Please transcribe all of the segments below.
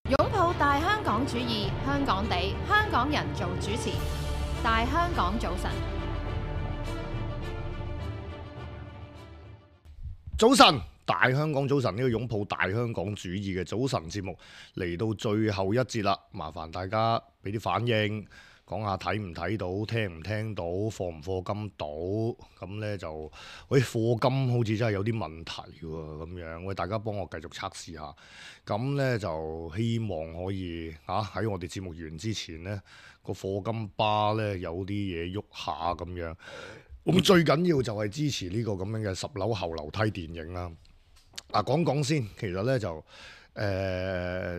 擁抱大香港主義，香港地，香港人做主持。大香港早晨，早晨，大香港早晨，呢個擁抱大香港主義嘅早晨節目嚟到最後一節啦，麻煩大家俾啲反應，講下睇唔睇到，聽唔聽到，課唔課金到，咁呢就，喂，課金好似真係有啲問題喎，咁樣，喂，大家幫我繼續測試下，咁呢就希望可以喺我哋節目完之前呢，個課金巴呢有啲嘢喐下咁樣。咁最緊要就係支持呢個咁樣嘅10樓後樓梯電影啦。講講先，其實呢就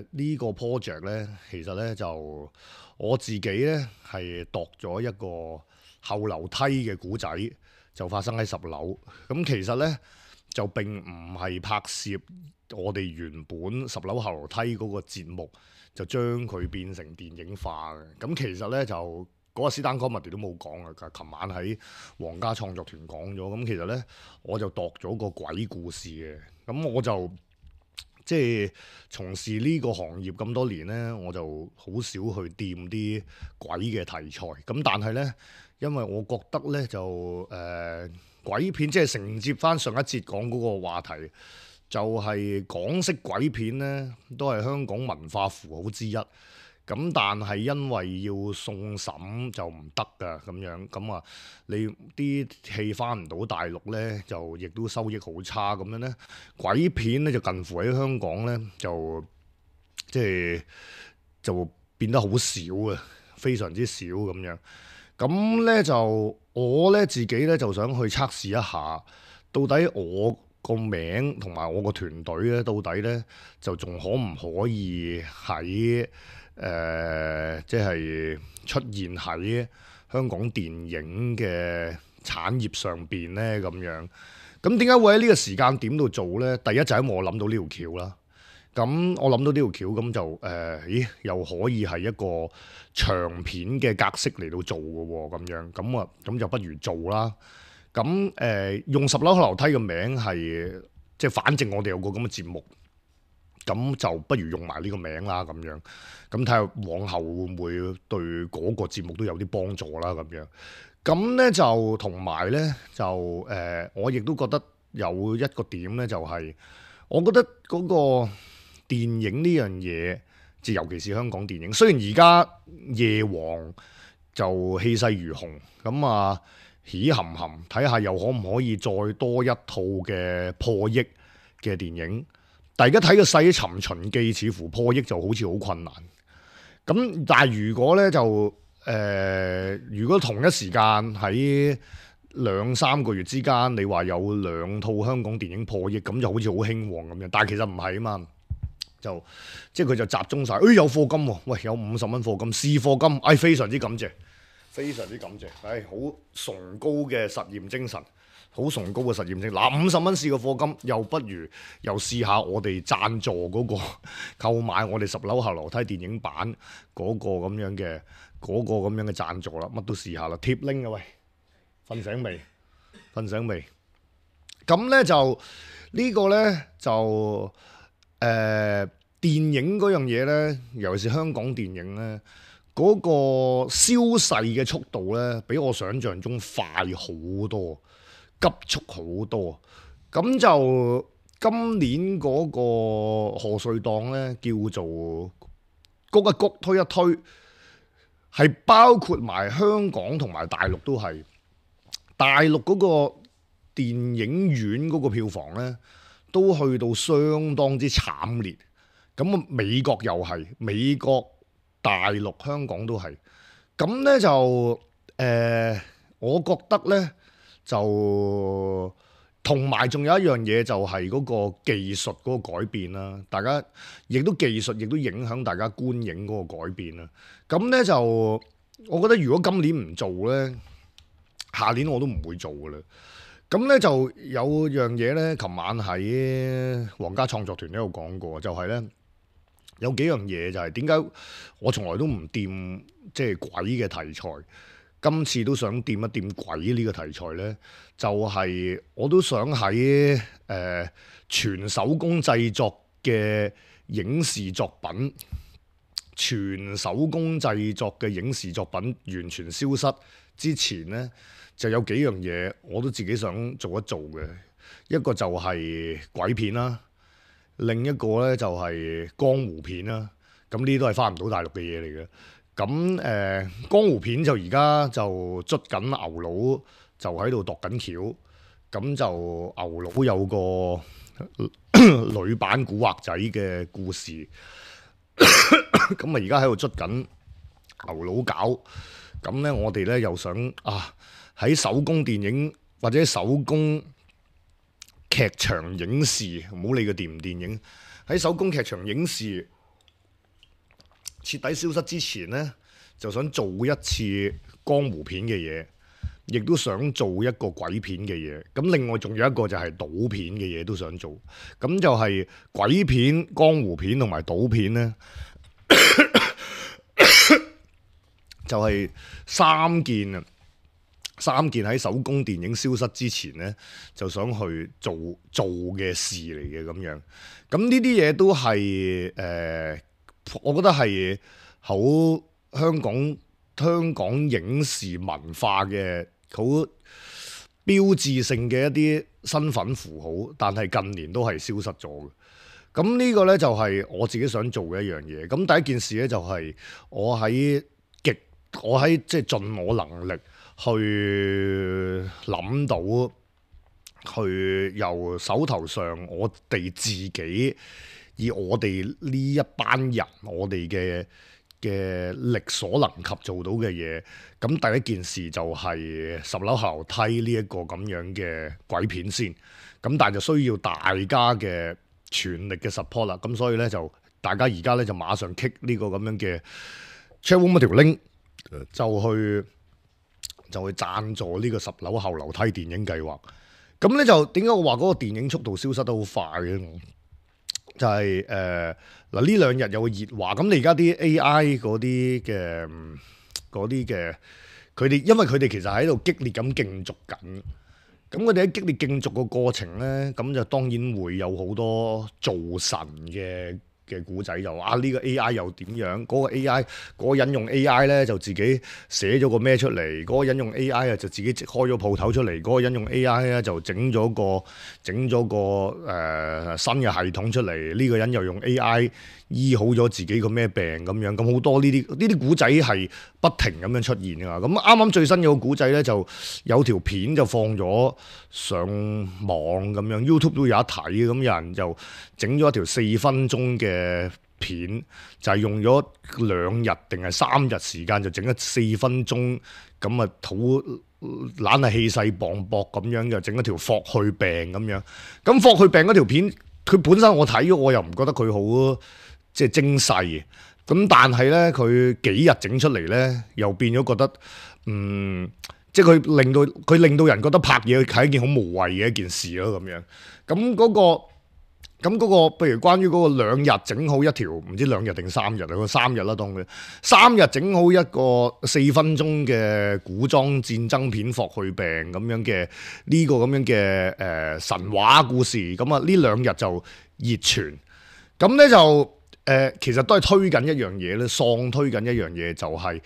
呢個 project 呢，其實呢就我自己呢係度咗一個後樓梯嘅故仔，就發生喺10樓。咁其實呢就並唔係拍攝我哋原本10樓後樓梯嗰個節目，就將佢變成電影化嘅。咁其實呢就嗰個 Stand Comedy 都冇講啊！琴晚喺皇家創作團講咗，咁其實呢，我就度咗個鬼故事嘅。咁我就即係從事呢個行業咁多年呢，我就好少去掂啲鬼嘅題材。咁但係呢，因為我覺得呢，就鬼片即係承接翻上一節講嗰個話題，就係港式鬼片呢，都係香港文化符號之一。咁但係因為要送審就唔得㗎咁樣，咁啊你啲戲翻唔到大陸呢，就亦都收益好差咁樣呢。鬼片呢，就近乎喺香港呢，就即係就變得好少啊，非常之少咁樣。咁呢，就我呢自己呢，就想去測試一下，到底我個名同埋我個團隊呢，到底呢，就仲可唔可以喺即係出現喺香港電影嘅產業上邊呢？咁樣。咁點解會喺呢個時間點度做呢？第一就係因為我諗到呢條橋啦。咁我諗到呢條橋，咁就又可以係一個長片嘅格式嚟到做嘅喎，咁樣。咁就不如做啦。咁用10樓後樓梯嘅名係即係反正我哋有個咁嘅節目。咁就不如用埋呢個名啦，咁樣，咁睇下往後會唔會對嗰個節目都有啲幫助啦，咁樣。咁呢就同埋呢，就我亦都覺得有一個點呢，就係我覺得嗰個電影呢樣嘢，即尤其是香港電影，雖然而家夜王就氣勢如虹，咁啊喜含含，睇下又可唔可以再多一套嘅破億嘅電影。但而家睇個細《尋秦記》似乎破億就好似好困難。咁但係如果呢，就如果同一時間喺2-3個月之間，你話有2套香港電影破億，咁就好似好興旺咁樣。但係其實唔係啊嘛，就即係佢就集中晒。有課金喎，喂，有50蚊課金，試課金，非常之感謝，非常之感謝，好崇高嘅實驗精神。好崇高嘅實驗性，嗱50蚊試個課金，又不如又試下我哋贊助嗰個購買我哋10樓後樓梯電影版嗰個咁樣嘅贊助啦，乜都試下啦，貼 link 啊喂，瞓醒未？瞓醒未？咁呢就呢個呢，就電影嗰樣嘢呢，尤其是香港電影呢，嗰個消逝嘅速度呢，比我想象中快好多。急速好多，咁就今年嗰個賀歲檔呢，叫做谷一谷推一推，係包括埋香港同埋大陸都係。大陸嗰個電影院嗰個票房呢，都去到相當之慘烈。咁啊，美國又係，美國、大陸、香港都係。咁呢就我覺得呢。就同埋仲有一樣嘢，就係嗰個技術嗰個改變啦。大家亦都技術亦都影響大家觀影嗰個改變啦。咁呢，就我覺得如果今年唔做呢，下年我都唔會做噶啦。咁呢，就有樣嘢呢，琴晚喺皇家創作團呢度講過，就係呢，有幾樣嘢就係點解我從來都唔掂即係鬼嘅題材。今次都想掂一掂鬼呢個題材呢，就係我都想喺全手工製作嘅影視作品全手工製作嘅影視作品完全消失之前呢，就有幾樣嘢我都自己想做一做嘅。一個就係鬼片啦，另一個呢就係江湖片啦。咁呢啲都係翻唔到大陸嘅嘢嚟嘅。咁江湖片就而家就捽緊牛佬，就喺度度緊橋。咁就牛佬有個女版古惑仔嘅故事。咁啊，而家喺度捽緊牛佬搞。咁呢，我哋呢又想喺手工電影或者手工劇場影視，唔好理佢電唔電影，喺手工劇場影視徹底消失之前呢，就想做一次江湖片嘅嘢，亦都想做一個鬼片嘅嘢。咁另外仲有一個就係賭片嘅嘢都想做。咁就係鬼片、江湖片同埋賭片呢，就係三件喺手工電影消失之前呢，就想去做嘅事嚟嘅咁樣。咁呢啲嘢都係我覺得係好香港影視文化嘅好標誌性嘅一啲身份符號，但係近年都係消失咗嘅。咁呢個呢，就係我自己想做嘅一樣嘢。咁第一件事呢，就係我喺即係盡我能力去諗到，去由手頭上我哋自己以我哋呢一班人，我哋嘅力所能及做到嘅嘢。咁第一件事就係十樓後樓梯呢一個咁樣嘅鬼片先。咁但係就需要大家嘅全力嘅 support 啦。咁所以呢，就大家而家呢，就馬上 kick 呢個咁樣嘅 chatroom 嗰條 link， 就去贊助呢個十樓後樓梯電影計劃。咁呢，就點解我話嗰個電影速度消失得好快嘅？就係呢兩日有個熱話。咁你而家啲 AI 嗰啲嘅佢哋，因為佢哋其實喺度激烈咁競逐緊。咁佢哋喺激烈競逐個過程呢，咁就當然會有好多造神嘅古仔，就話呢個 AI 又點樣？嗰個 AI 嗰個人用 AI 呢，就自己寫咗個咩出嚟？嗰個人用 AI 就自己開咗鋪頭出嚟。嗰個人用 AI 呢，就整咗個新嘅系統出嚟。呢個人又用 AI 醫好咗自己個咩病咁樣。咁好多呢啲古仔係不停咁樣出現㗎。咁啱啱最新有個古仔呢，就有條片就放咗上網咁樣 ，YouTube 都有得睇。咁有人就整咗一條4分鐘嘅片，就係用咗2日定係3日時間，就整咗4分鐘，咁啊好懶係氣勢磅礴咁樣，就整一條霍去病咁樣。咁霍去病嗰條片，佢本身我睇咗，我又唔覺得佢好即係精細。咁但係呢，佢幾日整出嚟呢，又變咗覺得即係佢令到人覺得拍嘢係一件好無謂嘅一件事咯咁樣。咁嗰個，譬如關於嗰個2日整好一條，唔知2日定3日啊？個3日啦，當佢3日整好一個4分鐘嘅古裝戰爭片霍去病咁樣嘅呢個咁樣嘅神話故事。咁啊呢2日就熱傳。咁呢就其實都係推緊一樣嘢咧，喪推緊一樣嘢就係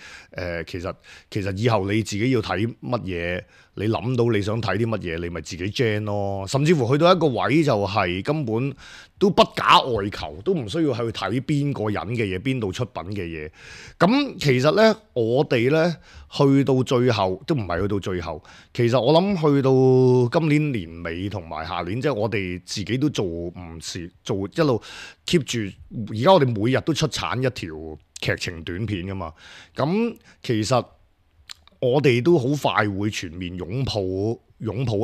其實以後你自己要睇乜嘢，你諗到你想睇啲乜嘢，你咪自己 gen 咯。甚至乎去到一個位就係根本都不假外求，都唔需要去睇邊個人嘅嘢，邊度出品嘅嘢。咁其實呢，我哋呢去到最後都唔係去到最後，其實我諗去到今年年尾同埋下年，即係我哋自己都做唔少，做一路 keep 住。而家我哋每日都出產一條劇情短片噶嘛。咁其實我哋都好快會全面擁抱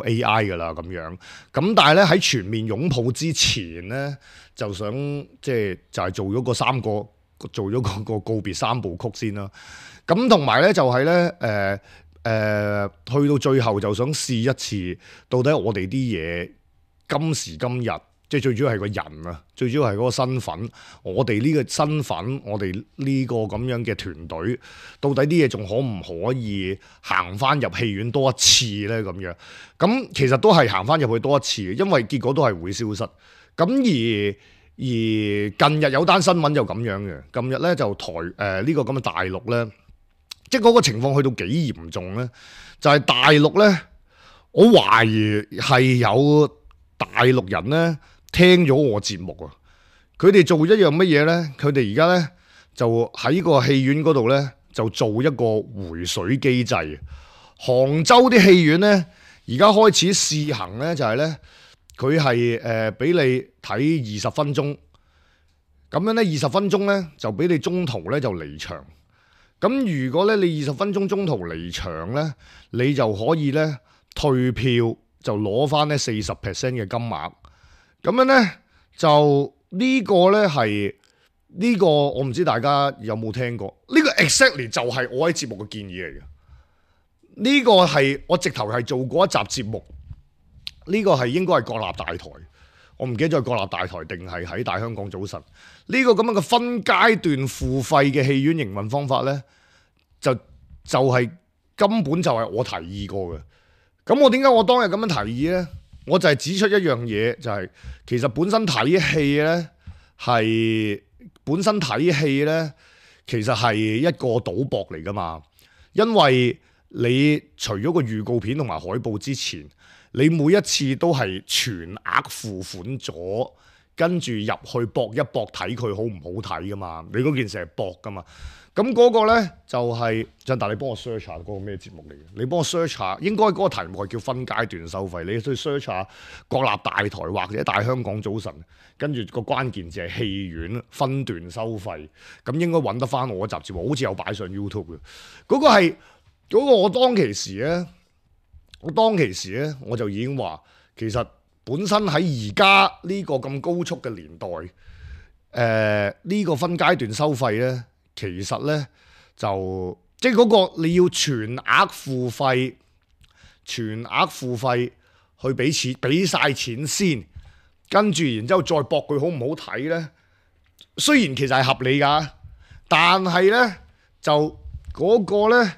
AI 噶啦咁樣。咁但係咧喺全面擁抱之前咧，就想就係做咗個告別3部曲先啦。咁同埋咧就係咧去到最後就想試一次，到底我哋啲嘢今時今日。即係最主要係個人啊，最主要係嗰個身份。我哋呢個身份，我哋呢個咁樣嘅團隊，到底啲嘢仲可唔可以行翻入戲院多一次呢？咁樣咁其實都係行翻入去多一次，因為結果都係會消失。咁而而近日有單新聞就咁樣嘅，近日咧就呢個咁嘅大陸咧，即係嗰個情況去到幾嚴重咧，就係大陸咧，我懷疑係有大陸人咧聽咗我節目啊，佢哋做一樣乜嘢咧？佢哋而家咧就喺個戲院嗰度咧就做一個回水機制。杭州啲戲院咧而家開始試行咧，就係咧佢係俾你睇20分鐘，咁樣咧20分鐘咧就俾你中途咧就離場。咁如果咧你20分鐘中途離場咧，你就可以咧退票，就攞翻咧40% 嘅金額。咁樣咧就呢個咧係呢個我唔知大家有冇聽過？呢個 exactly 就係我喺節目嘅建議嚟嘅。呢個係我直頭係做過一集節目，呢個係應該係國立大台，我唔記得咗係國立大台定係喺大香港早晨。呢個咁樣嘅分階段付費嘅戲院營運方法呢，就係根本就係我提議過嘅。咁我點解我當日咁樣提議呢？我就係指出一樣嘢，就係其實本身睇戲呢，其實係一個賭博嚟噶嘛，因為你除咗個預告片同埋海報之前，你每一次都係全額付款咗，跟住入去搏一搏睇佢好唔好睇噶嘛？你嗰件事係搏噶嘛？咁嗰個呢，就係振達，你幫我 search 下嗰個咩節目嚟嘅？你幫我 search 下，應該嗰個題目係叫分階段收費。你去 search 下國立大台或者大香港早晨，跟住個關鍵字係戲院分段收費，咁應該揾得翻我嗰集節目，好似有擺上 YouTube 嘅。嗰個係嗰個我當其時咧，我就已經話，其實本身喺而家呢個咁高速嘅年代，呢個分階段收費咧，其實咧就即係嗰個你要全額付費去俾錢，俾晒錢先，跟住然之後再搏佢好唔好睇咧。雖然其實係合理㗎，但係咧就嗰個咧。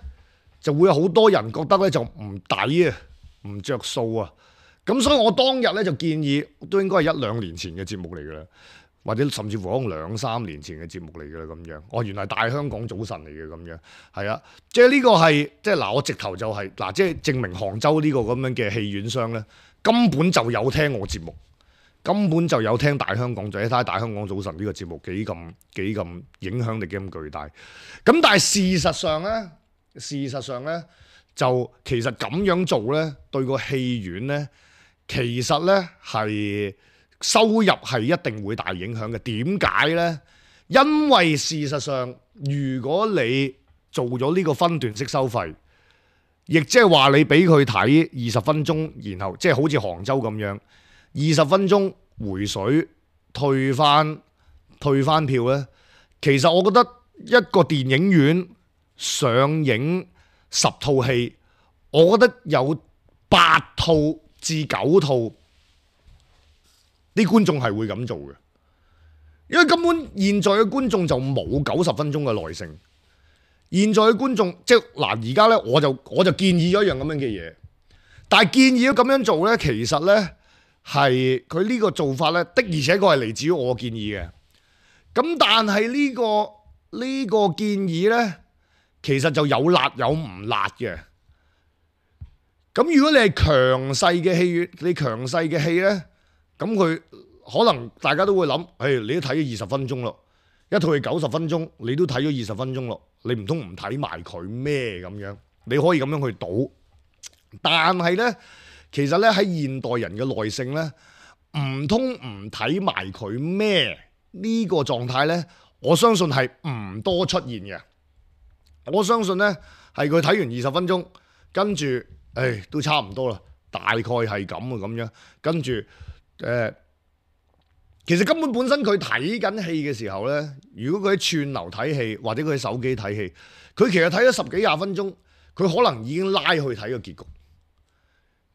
就會有好多人覺得咧就唔抵啊，唔着數啊，咁所以我當日咧就建議，都應該係1-2年前嘅節目嚟㗎啦，或者甚至乎可能2-3年前嘅節目嚟㗎啦咁樣。哦，原來大香港早晨嚟嘅咁樣，係啊，即係呢個係即係嗱，我直頭就係嗱，即係證明杭州呢個咁樣嘅戲院商咧，根本就有聽我節目，根本就有聽大香港早，睇下大香港早晨呢個節目幾咁影響力幾咁巨大。咁但係事實上咧，就其實咁樣做咧，對個戲院咧，其實咧係收入係一定會大影響嘅。點解咧？因為事實上，如果你做咗呢個分段式收費，亦即係話你俾佢睇20分鐘，然後即係好似杭州咁樣，20分鐘回水退翻票咧，其實我覺得一個電影院上映10套戲，我覺得有8套至9套啲觀眾係會咁做嘅，因為根本現在嘅觀眾就冇90分鐘嘅耐性。現在嘅觀眾即係嗱，而家咧我就建議咗一樣咁樣嘅嘢，但係建議咗咁樣做咧，其實咧係佢呢個做法咧的而且確係嚟自於我建議嘅。咁但係呢個建議咧，其實就有辣有唔辣嘅。咁如果你係強勢嘅戲院，你強勢嘅戲咧，咁佢可能大家都會諗，你都睇咗20分鐘咯，一套戲90分鐘，你都睇咗20分鐘咯，你唔通唔睇埋佢咩咁樣？你可以咁樣去賭，但係咧，其實咧喺現代人嘅耐性咧，唔通唔睇埋佢咩呢個狀態咧？我相信係唔多出現嘅。我相信咧係佢睇完20分鐘，跟住都差唔多啦，大概係咁啊咁樣，跟住其實根本身佢睇緊戲嘅時候咧，如果佢喺串流睇戲或者佢喺手機睇戲，佢其實睇咗10幾20分鐘，佢可能已經拉去睇個結局，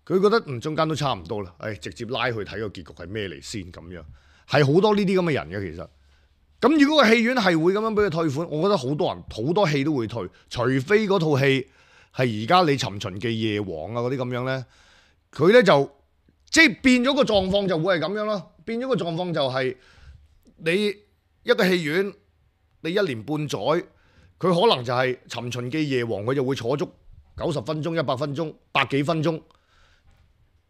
佢覺得中間都差唔多啦，直接拉去睇個結局係咩嚟先咁樣，係好多呢啲咁嘅人嘅其實。咁如果個戲院係會咁樣俾佢退款，我覺得好多人好多戲都會退，除非嗰套戲係而家你尋秦記夜王啊嗰啲咁樣咧，佢咧就即係變咗個狀況就會係咁樣咯，變咗個狀況就係你一個戲院，你1年半載，佢可能就係《尋秦記》夜王，佢就會坐足90分鐘、100分鐘、百幾分鐘。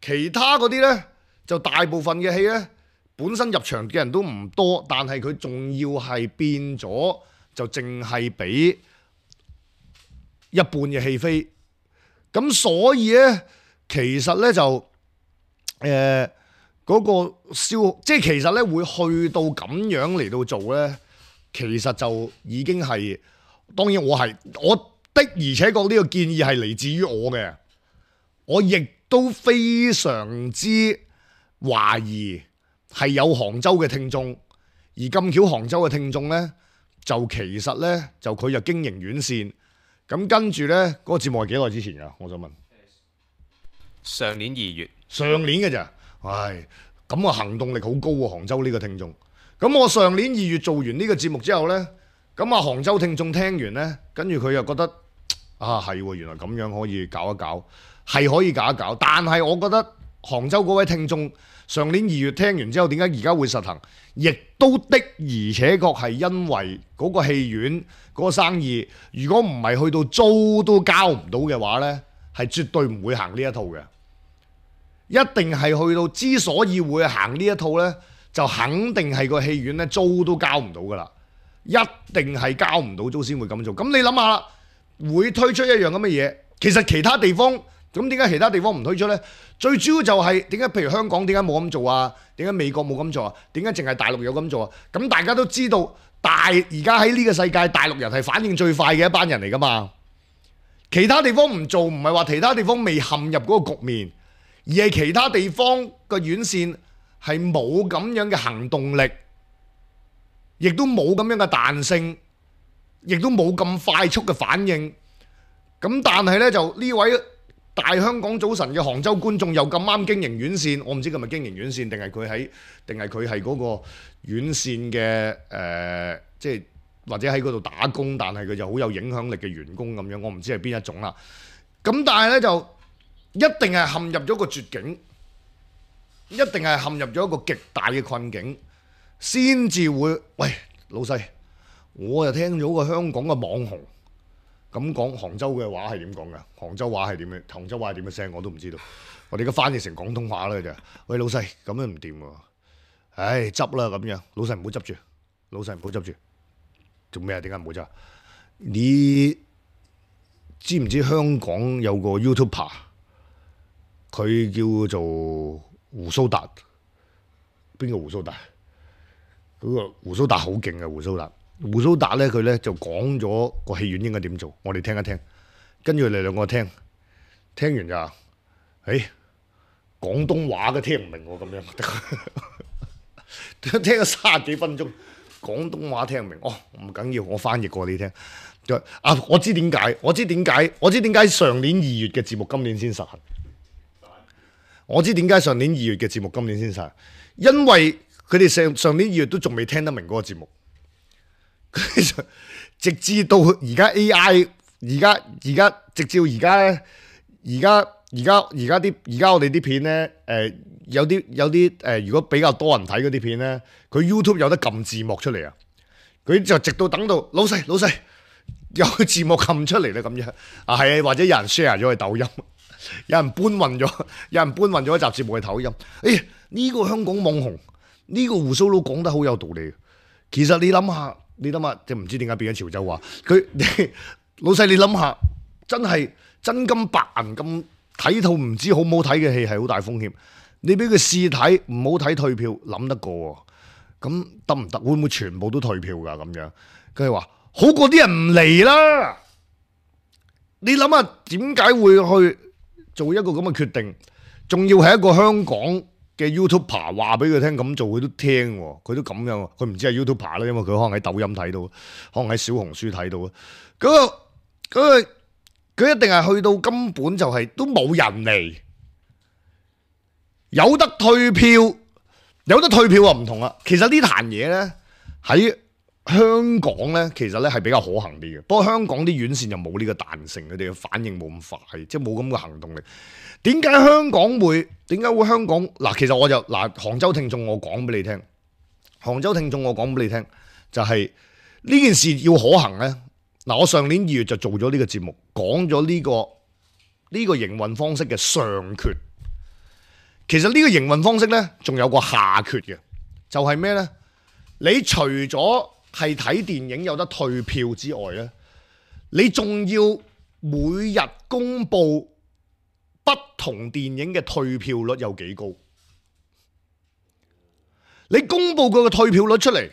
其他嗰啲呢，就大部分嘅戲呢，本身入場嘅人都唔多，但係佢仲要係變咗，就淨係俾一半嘅戲飛。咁所以呢，其實呢，就嗰個即係其實呢，會去到咁樣嚟到做呢，其實就已經係，當然我的而且確呢個建議係嚟自於我嘅，我亦都非常之懷疑係有杭州嘅聽眾，而咁巧杭州嘅聽眾呢，就其實呢，就佢就經營院線，咁跟住呢，嗰個節目係幾耐之前㗎？我想問。上年2月。上年嘅咋？唉，咁個行動力好高喎，杭州呢個聽眾。咁我上年2月做完呢個節目之後呢，咁啊杭州聽眾聽完呢，跟住佢又覺得啊係喎，原來咁樣可以搞一搞，係可以搞一搞。但係我覺得杭州嗰位聽眾上年2月聽完之後，點解而家會實行？亦都的而且確係因為嗰個戲院嗰個生意，如果唔係去到租都交唔到嘅話呢，係絕對唔會行呢一套嘅。一定係去到，之所以會行呢一套呢，就肯定係個戲院呢租都交唔到噶啦，一定係交唔到租先會咁做。咁你諗下啦，會推出一樣咁嘅嘢，其實其他地方咁點解其他地方唔推出呢？最主要就係點解譬如香港點解冇咁做啊？點解美國冇咁做啊？點解淨係大陸有咁做啊？咁大家都知道，而家喺呢個世界，大陸人係反應最快嘅一班人嚟噶嘛。其他地方唔做，唔係話其他地方未陷入嗰個局面，而係其他地方個院線係冇咁樣嘅行動力，亦都冇咁樣嘅彈性，亦都冇咁快速嘅反應。咁但係呢，就呢位大香港早晨嘅杭州觀眾又咁啱經營院線，我唔知佢係咪經營院線定係佢係嗰個院線嘅即係或者喺嗰度打工，但係佢就好有影響力嘅員工咁樣，我唔知係邊一種啦。咁但係呢，就一定係陷入咗個絕境，一定係陷入咗一個極大嘅困境，先至會喂老細，我又聽咗個香港嘅網紅咁講杭州嘅話係點講㗎？杭州話係點嘅？杭州話係點嘅聲我都唔知道。我哋而家翻譯成廣東話啦就，喂老細咁樣唔掂喎，唉執啦咁樣，老細唔好執住，老細唔好執住，做咩啊？點解唔好執？你知唔知香港有個 YouTuber？佢叫做鬍鬚達，邊個鬍鬚達？嗰個鬍鬚達好勁嘅鬍鬚達。鬍鬚達咧，佢咧就講咗個戲院應該點做，我哋聽一聽。跟住你兩個聽完就話，廣東話都聽唔明喎，咁樣聽咗30幾分鐘，廣東話聽唔明。哦，唔緊要，我翻譯過你聽。啊，我知點解上年2月嘅節目今年先實行。我知點解上年2月嘅節目今年先實，因為佢哋上年2月都仲未聽得明嗰個節目，直至到而家 AI， 直至而家咧，而家我哋啲片咧，有啲如果比較多人睇嗰啲片咧，佢 YouTube 有得撳字幕出嚟啊，佢就直到等到老細有字幕撳出嚟咧咁樣啊，係啊，或者有人 share 咗去抖音。有人搬運咗一集節目去抖音。呢個香港網紅，呢個鬍鬚佬講得好有道理。其實你諗下，即係唔知點解變咗潮州話。老細你諗下，真係真金白銀咁睇套唔知好唔好睇嘅戲係好大風險。你俾佢試睇唔好睇退票，諗得過喎？咁得唔得？會唔會全部都退票㗎？咁樣佢話好過啲人唔嚟啦。你諗下點解會去做一個咁嘅決定，仲要係一個香港嘅 YouTuber 話俾佢聽咁做，佢都聽喎，佢都咁樣，佢唔知係 YouTuber 啦，因為佢可能喺抖音睇到，可能喺小紅書睇到啊。佢一定係去到根本就係都冇人嚟，有得退票啊唔同啦。其實呢壇嘢咧喺香港咧，其實咧係比較可行啲嘅。不過香港啲院線就冇呢個彈性，佢哋嘅反應冇咁快，即係冇咁嘅行動力。點解香港會香港嗱？其實我就杭州聽眾，我講俾你聽，杭州聽眾，我講俾你聽，就係呢件事要可行呢。嗱，我上年2月就做咗呢個節目，講咗呢個營運方式嘅上缺。其實呢個營運方式呢，仲有個下缺嘅，就係咩呢？你除咗係睇電影有得退票之外呢，你仲要每日公佈不同電影嘅退票率有幾高。你公佈佢嘅退票率出嚟，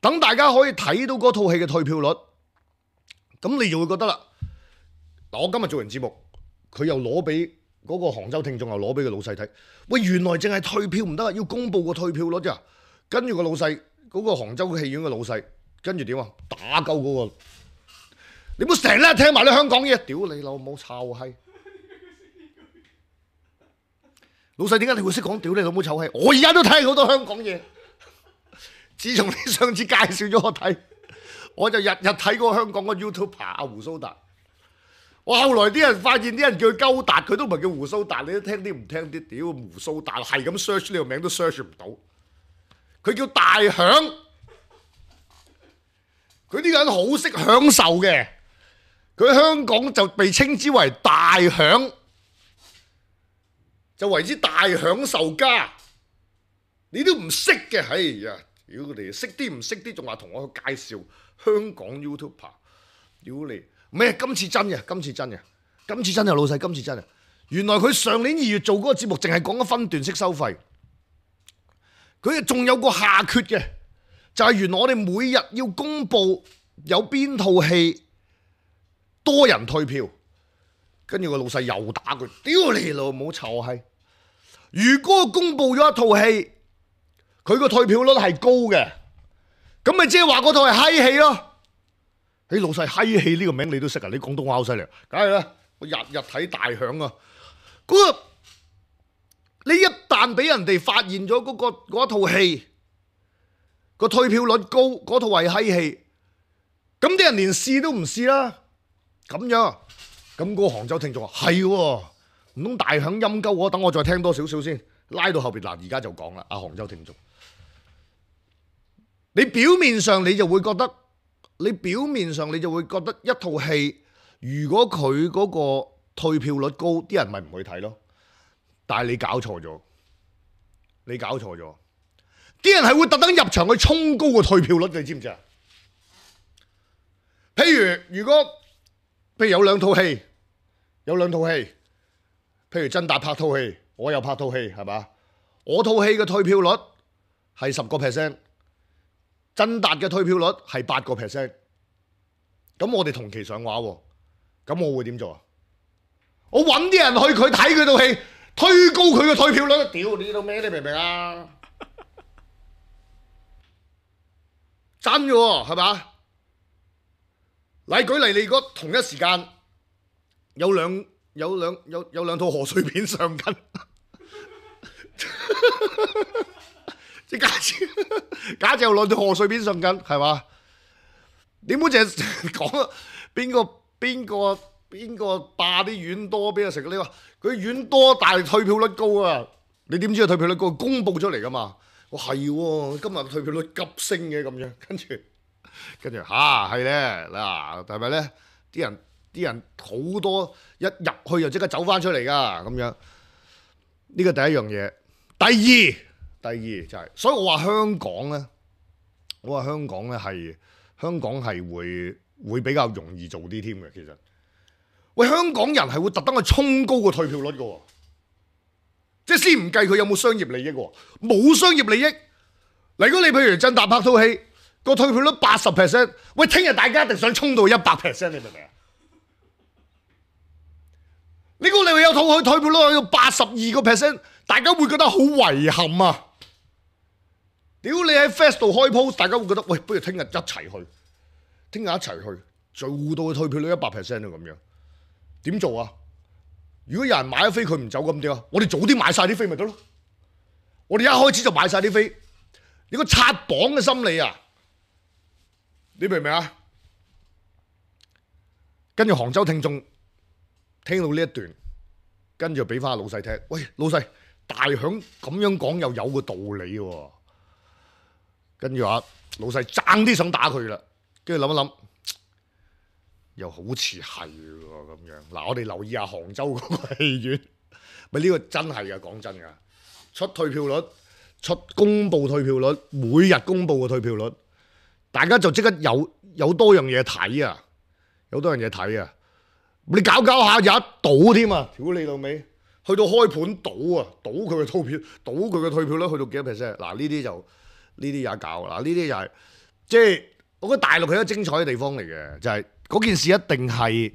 等大家可以睇到嗰套戲嘅退票率，咁你就會覺得啦。嗱，我今日做完節目，佢又攞俾嗰個杭州聽眾，又攞俾個老細睇。喂，原來淨係退票唔得啊，要公佈個退票率咋。跟住個老細，嗰個杭州戲院嘅老細，跟住點啊？打鳩嗰個，你唔好成日聽埋啲香港嘢，屌你老母臭閪！老細點解你會識講屌你老母臭閪？我而家都睇好多香港嘢。自從你上次介紹咗我睇，我就日日睇嗰個香港個 YouTuber 阿胡蘇達。我後來啲人發現啲人叫佢鳩達，佢都唔係叫胡蘇達，你都聽啲唔聽啲。屌胡蘇達係咁 search 呢個名都 search 唔到。佢叫大響，佢呢個人好識享受嘅。佢喺香港就被稱之為大響。就為之大享受家，你都唔識嘅，哎呀！屌你，識啲唔識啲，仲話同我去介紹香港 YouTuber， 屌你！咩？今次真嘅，今次真嘅，今次真係老細，今次真嘅。原來佢上年2月做嗰個節目，淨係講咗分段式收費，佢仲有個下缺嘅，就係原來我哋每日要公佈有邊套戲多人退票。跟住個老細又打佢，屌你老母臭閪！如果公佈咗一套戲，佢個退票率係高嘅，咁咪即係話嗰套係閪戲咯。你老細閪戲呢個名你都識啊？你廣東話好犀利，梗係啦！我日日睇大響啊！嗰個你一旦俾人哋發現咗嗰套戲個退票率高，嗰套係閪戲，咁啲人連試都唔試啦。咁樣。咁嗰個杭州聽眾話係喎，唔通大響陰鳩我？等我再聽多少少先，拉到後邊嗱，而家就講啦。阿杭州聽眾，你表面上你就會覺得，一套戲如果佢嗰個退票率高，啲人咪唔去睇咯。但係你搞錯咗，啲人係會特登入場去衝高個退票率，你知唔知啊？譬如有兩套戲，譬如曾達拍套戲，我又拍套戲，係嘛？我套戲嘅退票率係10%，曾達嘅退票率係8%。咁我哋同期上畫喎，咁我會點做啊？我揾啲人去佢睇佢套戲，推高佢嘅退票率，屌你老咩？你明唔明啊？真嘅喎，係嘛？嚟舉例，你如果同一時間有兩套賀歲片上緊，即係假設有兩套賀歲片上緊，係嘛？點會淨係講邊個霸啲丸多俾佢食？你話佢丸多，但係退票率高啊！你點知佢退票率高？公佈出嚟噶嘛？我係喎，今日退票率急升嘅咁樣，跟住係咧嗱，係咪咧？啲人好多一入去就即刻走翻出嚟噶咁樣。呢個第一樣嘢。第二就係，所以我話香港咧，香港係會比較容易做啲添嘅。其實，喂，香港人係會特登去衝高個退票率嘅喎，即係先唔計佢有冇商業利益喎，冇商業利益。如果你譬如曾達拍套戲，個退票率80%，喂，聽日大家一定想衝到100%，你明唔明啊？你估你會有套戲退票率去到82%，大家會覺得好遺憾啊！屌你喺 Fest 度開 post，大家會覺得喂，不如聽日一齊去，做到佢退票率100%啊咁樣，點做啊？如果有人買咗飛佢唔走咁點啊？我哋早啲買晒啲飛咪得咯？我哋一開始就買晒啲飛，你個刷榜嘅心理啊！你明唔明啊？跟住杭州聽眾聽到呢一段，跟住俾翻老細聽。喂，老細，大響咁樣講又有個道理喎。跟住話老細爭啲想打佢啦，跟住諗一諗，又好似係喎咁樣。嗱，我哋留意下杭州嗰個戲院，咪呢個真係㗎，講真㗎，出退票率、公佈退票率，每日公佈嘅退票率，大家就即刻有多樣嘢睇啊，有多樣嘢睇啊！你搞下有一賭添啊！屌你老味，去到開盤賭啊，賭佢嘅退票，賭佢嘅退票率去到幾多 percent？嗱，呢啲有得搞嗱，呢啲又係即係我覺得大陸係一個精彩嘅地方嚟嘅，就係嗰件事一定係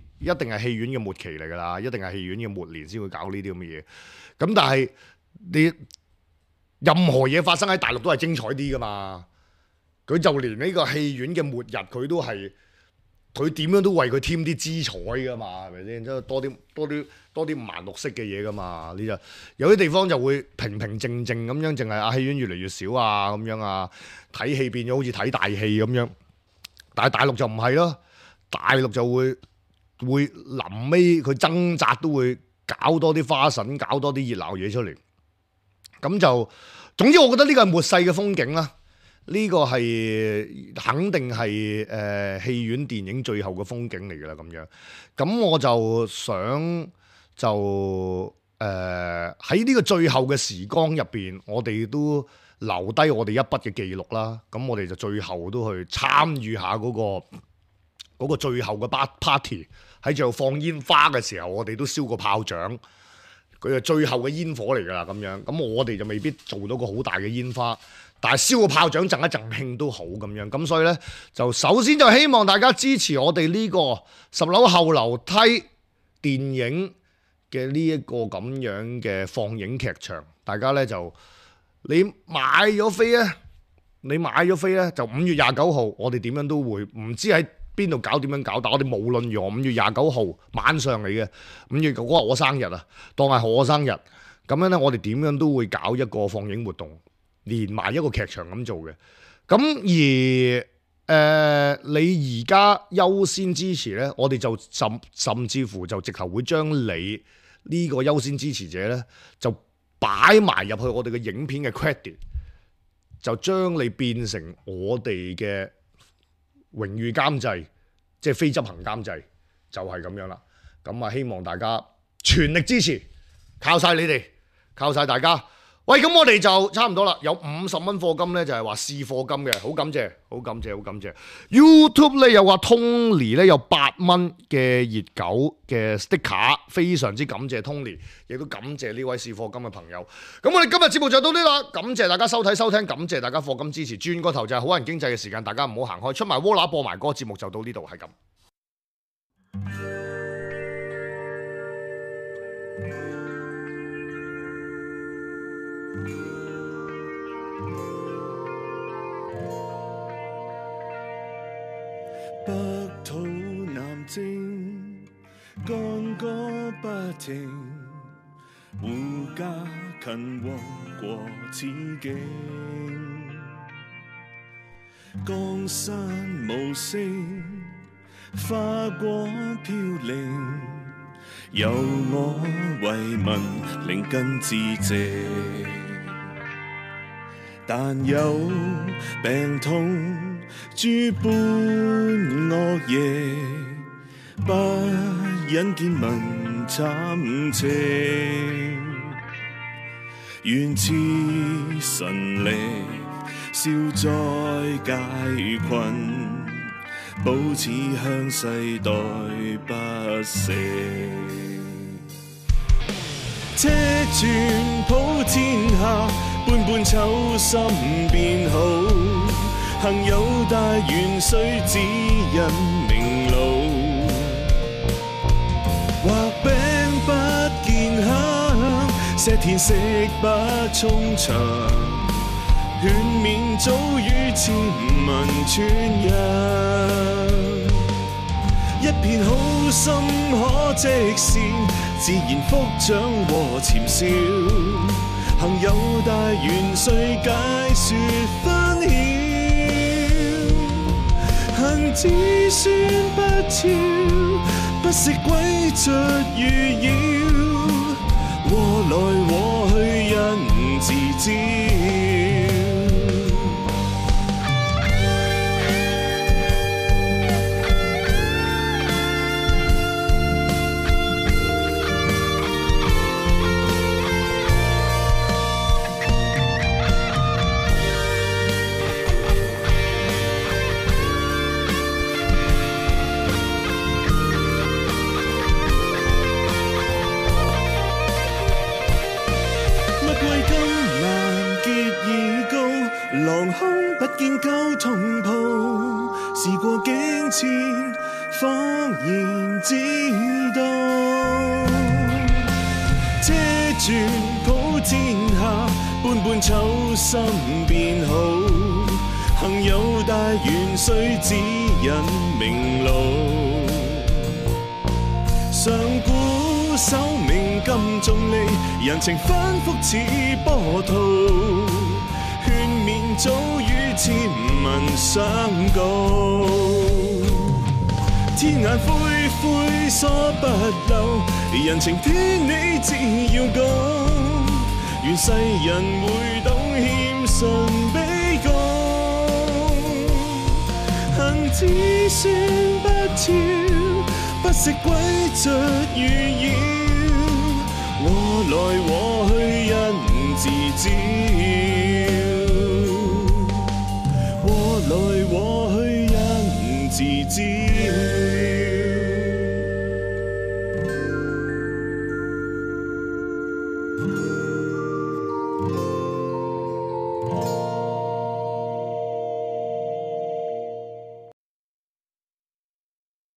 戲院嘅末期嚟㗎啦，一定係戲院嘅末年先會搞呢啲咁嘅嘢。咁但係你任何嘢發生喺大陸都係精彩啲㗎嘛？佢就連呢個戲院嘅末日佢點樣都為佢添啲姿彩㗎嘛，係咪先？即係多啲五顏六色嘅嘢㗎嘛。呢就有啲地方就會平平靜靜咁樣，淨係戲院越嚟越少啊咁樣啊，睇戲變咗好似睇大戲咁樣。但係大陸就唔係咯，大陸就會臨尾佢掙扎都會搞多啲花神，搞多啲熱鬧嘢出嚟。咁就總之，我覺得呢個係末世嘅風景啦。呢個係肯定係戲院電影最後嘅風景嚟㗎啦，咁樣。咁我就想喺呢個最後嘅時光入邊，我哋都留低我哋一筆嘅記錄啦。咁我哋就最後都去參與下嗰個最後嘅 party， 喺最後放煙花嘅時候，我哋都燒個炮仗。佢係最後嘅煙火嚟㗎啦，咁樣。咁我哋就未必做到個好大嘅煙花，但係燒個炮仗贈一贈慶都好咁樣。咁所以呢，就首先就希望大家支持我哋呢個10樓後樓梯電影嘅呢一個咁樣嘅放映劇場。大家呢，就你買咗飛呢，就5月29號，我哋點樣都會唔知喺邊度搞點樣搞，但我哋無論如何5月29號晚上嚟嘅5月嗰日我生日啊，當係我生日咁樣呢，我哋點樣都會搞一個放映活動，連埋一個劇場咁做嘅。咁而你而家優先支持呢，我哋就甚至乎就直頭會將你呢個優先支持者呢，就擺埋入去我哋嘅影片嘅 credit， 就將你變成我哋嘅榮譽監製，即係非執行監製，就係咁樣啦。咁啊，希望大家全力支持，靠晒你哋，靠晒大家。喂，咁我哋就差唔多啦，有50蚊課金呢，就係話試課金嘅，好感謝，好感謝，好感謝。YouTube 呢，又話 Tony 呢，有8蚊嘅熱狗嘅 sticker， 非常之感謝 Tony， 亦都感謝呢位試課金嘅朋友。咁我哋今日節目就到呢度啦，感謝大家收睇收聽，感謝大家課金支持。轉個頭就係好人經濟嘅時間，大家唔好行開，出埋窩乸播埋歌，節目就到呢度，係咁。北土南征，干戈不停，護家勤王過此境。江山無聲，花果飄零，由我為民靈根致謝。但有病痛諸般惡嘢，不忍見民慘情。願賜神力，消災解困，保此鄉世代不息。車傳普天下，般般秋心變好。幸有大元帥指引明路，畫餅不見香，石田食不充腸，勸勉早與千民傳揚。一片好心可積善，自然福長和潛笑。幸有大元帥解說分曉。行子孫不肖，不惜鬼卒如妖，禍來禍去因自招。擁抱，事過境遷，恍然知道。這轉普天下，般般秋心變好。幸有大元帥指引明路。上古守命金重利，人情反覆似波濤。勸勉早與千文相告。天眼灰灰疏不漏，人情天理只要講。願世人會懂謙遜卑躬。行只算不超，不惜詭譎預擾。禍來禍去因自知。